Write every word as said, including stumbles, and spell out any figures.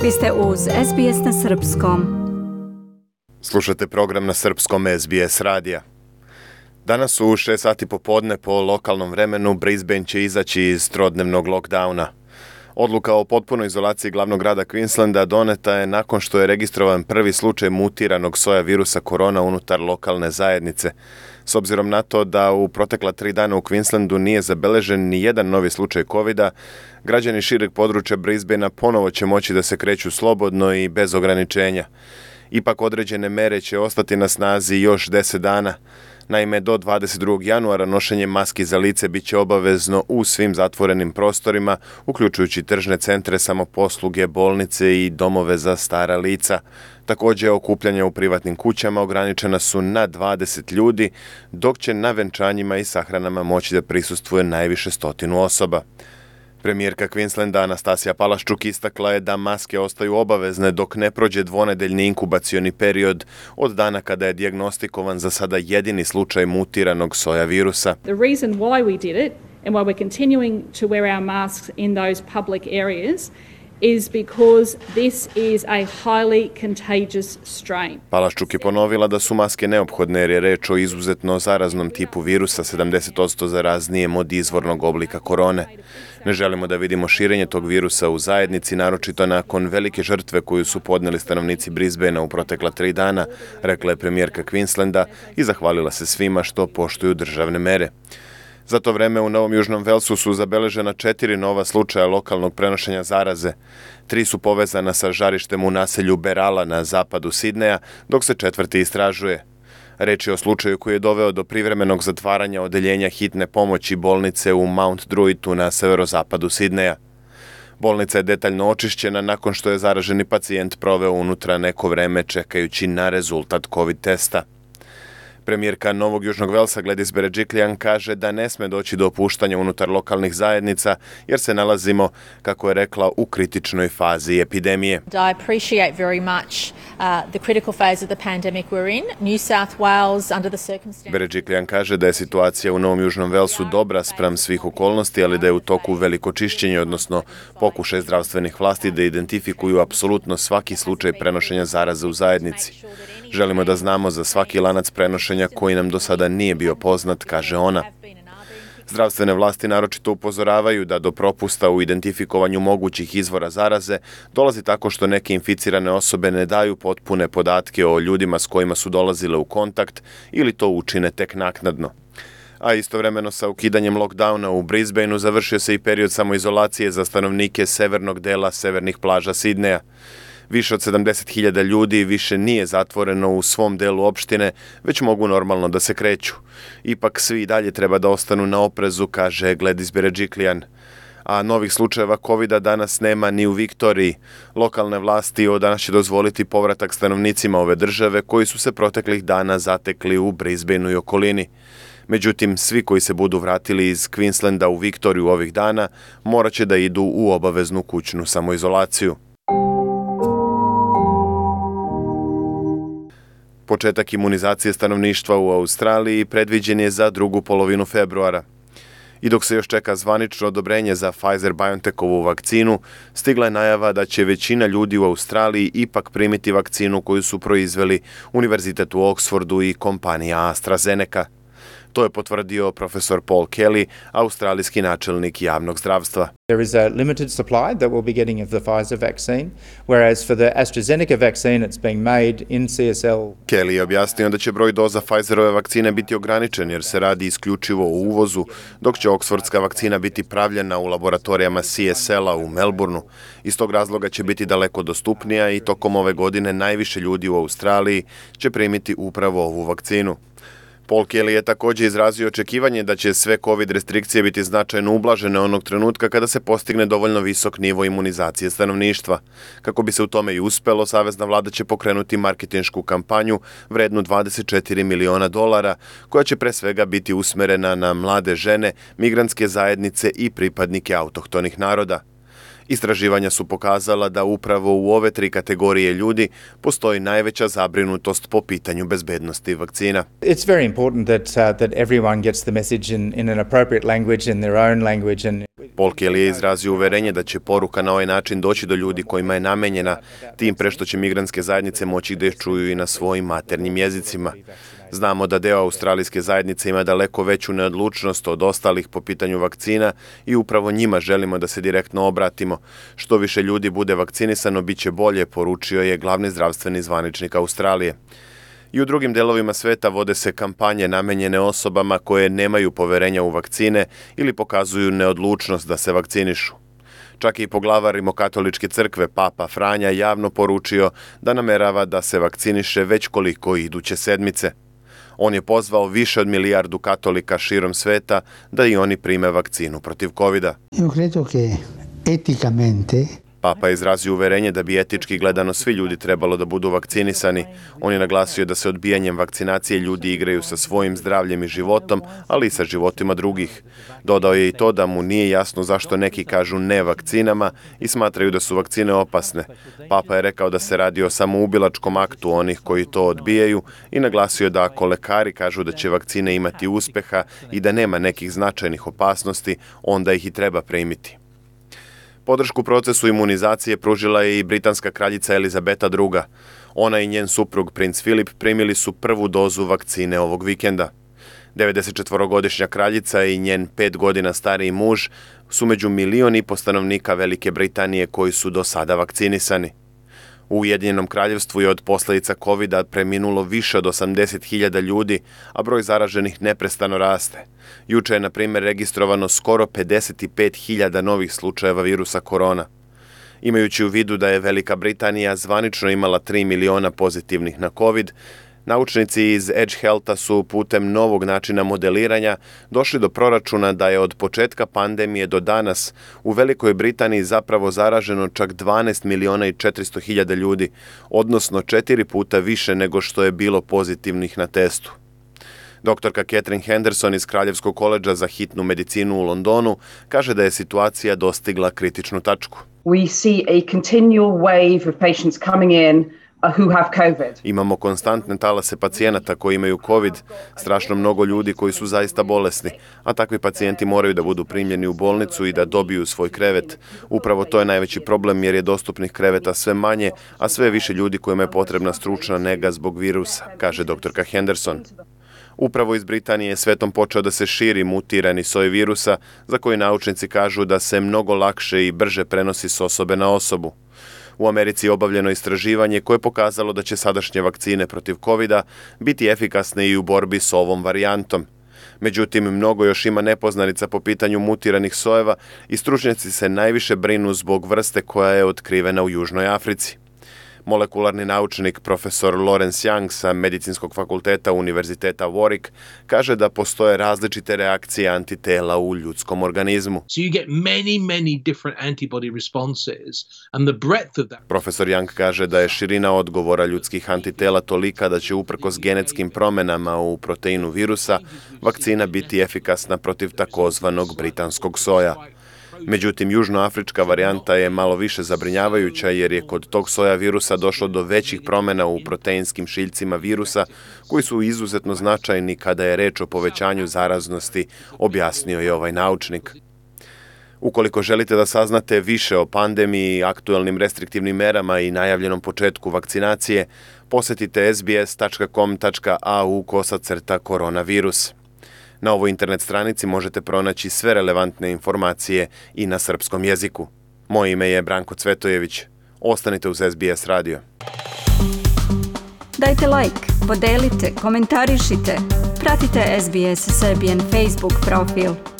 Vi ste uz S B S na srpskom. Slušate program na srpskom S B S radija. Danas u šest sati popodne po lokalnom vremenu Brisbane će izaći iz trodnevnog lockdowna. Odluka o potpunoj izolaciji glavnog grada Queenslanda doneta je nakon što je registrovan prvi slučaj mutiranog soja virusa korona unutar lokalne zajednice. S obzirom na to da u protekla tri dana u Queenslandu nije zabeležen ni jedan novi slučaj covida, građani šireg područja Brisbanea ponovo će moći da se kreću slobodno i bez ograničenja. Ipak određene mere će ostati na snazi još deset dana. Naime, do dvadeset drugog januara nošenje maski za lice bit će obavezno u svim zatvorenim prostorima, uključujući tržne centre, samoposluge, bolnice i domove za stara lica. Također, okupljanja u privatnim kućama ograničena su na dvadeset ljudi, dok će na venčanjima i sahranama moći da prisustvuje najviše stotinu osoba. Premijerka Queenslanda Anastasija Palaszczuk istakla je da maske ostaju obavezne dok ne prođe dvonedeljni inkubacioni period od dana kada je dijagnostikovan za sada jedini slučaj mutiranog soja virusa. The reason why we did it and why we're continuing to wear our masks in those public areas is because this is a highly contagious strain. Palaszczuk je ponovila da su maske neophodne jer je reč o izuzetno zaraznom tipu virusa, sedamdeset posto zaraznijim od izvornog oblika korone. Ne želimo da vidimo širenje tog virusa u zajednici, naročito nakon velike žrtve koju su podneli stanovnici Brisbanea u protekla tri dana, rekla je premijerka Queenslanda i zahvalila se svima što poštuju državne mere. Za to vreme u Novom Južnom Velsu su zabeležena četiri nova slučaja lokalnog prenošenja zaraze. Tri su povezana sa žarištem u naselju Berala na zapadu Sidneja, dok se četvrti istražuje. Reč je o slučaju koji je doveo do privremenog zatvaranja odeljenja hitne pomoći bolnice u Mount Druittu na severozapadu Sidneja. Bolnica je detaljno očišćena nakon što je zaraženi pacijent proveo unutra neko vreme čekajući na rezultat COVID testa. Premijerka Novog Južnog Velsa Gladys Berejiklian kaže da ne sme doći do opuštanja unutar lokalnih zajednica jer se nalazimo, kako je rekla, u kritičnoj fazi epidemije. I appreciate very much uh, the critical phase of the pandemic we're in. New South Wales under the circumstances. Berejiklian kaže da je situacija u Novom Južnom Velsu dobra spram svih okolnosti, ali da je u toku veliko čišćenje, odnosno pokušaj zdravstvenih vlasti da identifikuju apsolutno svaki slučaj prenošenja zaraze u zajednici. Želimo da znamo za svaki lanac prenošenja koji nam do sada nije bio poznat, kaže ona. Zdravstvene vlasti naročito upozoravaju da do propusta u identifikovanju mogućih izvora zaraze dolazi tako što neke inficirane osobe ne daju potpune podatke o ljudima s kojima su dolazile u kontakt ili to učine tek naknadno. A istovremeno sa ukidanjem lockdowna u Brisbaneu završio se i period samoizolacije za stanovnike severnog dela severnih plaža Sidneja. Više od sedamdeset hiljada ljudi više nije zatvoreno u svom delu opštine, već mogu normalno da se kreću. Ipak svi i dalje treba da ostanu na oprezu, kaže Gladys Berejiklian. A novih slučajeva covida danas nema ni u Viktoriji. Lokalne vlasti od danas će dozvoliti povratak stanovnicima ove države koji su se proteklih dana zatekli u Brisbaneu i okolini. Međutim, svi koji se budu vratili iz Queenslanda u Viktoriju ovih dana morat će da idu u obaveznu kućnu samoizolaciju. Početak imunizacije stanovništva u Australiji predviđen je za drugu polovinu februara. I dok se još čeka zvanično odobrenje za Pfizer-BioNTechovu vakcinu, stigla je najava da će većina ljudi u Australiji ipak primiti vakcinu koju su proizveli Univerzitet u Oxfordu i kompanija AstraZeneca. To je potvrdio profesor Paul Kelly, australijski načelnik javnog zdravstva. There is a limited supply that we'll be getting of the Pfizer vaccine, whereas for the AstraZeneca vaccine it's being made in C S L. Kelly je objasnio da će broj doza Pfizerove vakcine biti ograničen jer se radi isključivo o uvozu, dok će Oxfordska vakcina biti pravljena u laboratorijama C S L-a u Melbourneu. Iz tog razloga će biti daleko dostupnija i tokom ove godine najviše ljudi u Australiji će primiti upravo ovu vakcinu. Paul Kelly je također izrazio očekivanje da će sve COVID restrikcije biti značajno ublažene onog trenutka kada se postigne dovoljno visok nivo imunizacije stanovništva. Kako bi se u tome i uspelo, savezna vlada će pokrenuti marketinšku kampanju vrednu dvadeset četiri miliona dolara, koja će pre svega biti usmerena na mlade žene, migrantske zajednice i pripadnike autohtonih naroda. Istraživanja su pokazala da upravo u ove tri kategorije ljudi postoji najveća zabrinutost po pitanju bezbednosti vakcina. It's very important that uh, that everyone gets the message in, in an appropriate language, in their own language. And Paul Kelly je izrazio uverenje da će poruka na ovaj način doći do ljudi kojima je namenjena, tim pre što će migrantske zajednice moći da je čuju i na svojim maternjim jezicima. Znamo da deo australijske zajednice ima daleko veću neodlučnost od ostalih po pitanju vakcina i upravo njima želimo da se direktno obratimo. Što više ljudi bude vakcinisano, bit će bolje, poručio je glavni zdravstveni zvaničnik Australije. I u drugim delovima sveta vode se kampanje namenjene osobama koje nemaju poverenja u vakcine ili pokazuju neodlučnost da se vakcinišu. Čak i poglavar rimokatoličke crkve Papa Franja javno poručio da namerava da se vakciniše već koliko iduće sedmice. On je pozvao više od milijardu katolika širom sveta da i oni prime vakcinu protiv kovida. Io credo che eticamente Papa je izrazio uverenje da bi etički gledano svi ljudi trebalo da budu vakcinisani. On je naglasio da se odbijanjem vakcinacije ljudi igraju sa svojim zdravljem i životom, ali i sa životima drugih. Dodao je i to da mu nije jasno zašto neki kažu ne vakcinama i smatraju da su vakcine opasne. Papa je rekao da se radi o samoubilačkom aktu onih koji to odbijaju i naglasio da ako lekari kažu da će vakcine imati uspeha i da nema nekih značajnih opasnosti, onda ih i treba primiti. Podršku procesu imunizacije pružila je i britanska kraljica Elizabeta druga. Ona i njen suprug princ Filip primili su prvu dozu vakcine ovog vikenda. devedesetčetvorogodišnja kraljica i njen pet godina stariji muž su među milion i po stanovnika Velike Britanije koji su do sada vakcinisani. U Ujedinjenom kraljevstvu je od posljedica kovida preminulo više od osamdeset hiljada ljudi, a broj zaraženih neprestano raste. Juče je, na primjer, registrovano skoro pedeset pet hiljada novih slučajeva virusa korona. Imajući u vidu da je Velika Britanija zvanično imala tri miliona pozitivnih na covid, naučnici iz Edge Healtha su putem novog načina modeliranja došli do proračuna da je od početka pandemije do danas u Velikoj Britaniji zapravo zaraženo čak dvanaest miliona i četiristo hiljada ljudi, odnosno četiri puta više nego što je bilo pozitivnih na testu. Doktorka Catherine Henderson iz Kraljevskog koledža za hitnu medicinu u Londonu kaže da je situacija dostigla kritičnu tačku. We see a continual wave of patients coming in who have COVID. Imamo konstantne talase pacijenata koji imaju COVID, strašno mnogo ljudi koji su zaista bolesni, a takvi pacijenti moraju da budu primljeni u bolnicu i da dobiju svoj krevet. Upravo to je najveći problem jer je dostupnih kreveta sve manje, a sve više ljudi kojima je potrebna stručna nega zbog virusa, kaže doktorka Henderson. Upravo iz Britanije je svetom počeo da se širi mutirani soj virusa, za koji naučnici kažu da se mnogo lakše i brže prenosi s osobe na osobu. U Americi je obavljeno istraživanje koje je pokazalo da će sadašnje vakcine protiv kovida biti efikasne i u borbi s ovom varijantom. Međutim, mnogo još ima nepoznanica po pitanju mutiranih sojeva i stručnjaci se najviše brinu zbog vrste koja je otkrivena u Južnoj Africi. Molekularni naučnik profesor Lawrence Young sa Medicinskog fakulteta Univerziteta Warwick kaže da postoje različite reakcije antitela u ljudskom organizmu. So you get many, many different antibody responses and the breadth of that. Profesor Young kaže da je širina odgovora ljudskih antitela tolika da će uprkos genetskim promenama u proteinu virusa vakcina biti efikasna protiv takozvanog britanskog soja. Međutim, južnoafrička varijanta je malo više zabrinjavajuća jer je kod tog soja virusa došlo do većih promjena u proteinskim šiljcima virusa koji su izuzetno značajni kada je reč o povećanju zaraznosti, objasnio je ovaj naučnik. Ukoliko želite da saznate više o pandemiji, aktuelnim restriktivnim merama i najavljenom početku vakcinacije, posetite s b s tačka com tačka a u kosacrta koronavirus. Na ovoj internet stranici možete pronaći sve relevantne informacije i na srpskom jeziku. Moje ime je Branko Cvetojević. Ostanite uz S B S radio. Dajte like, podelite, komentarišite. Pratite S B S Serbian Facebook profil.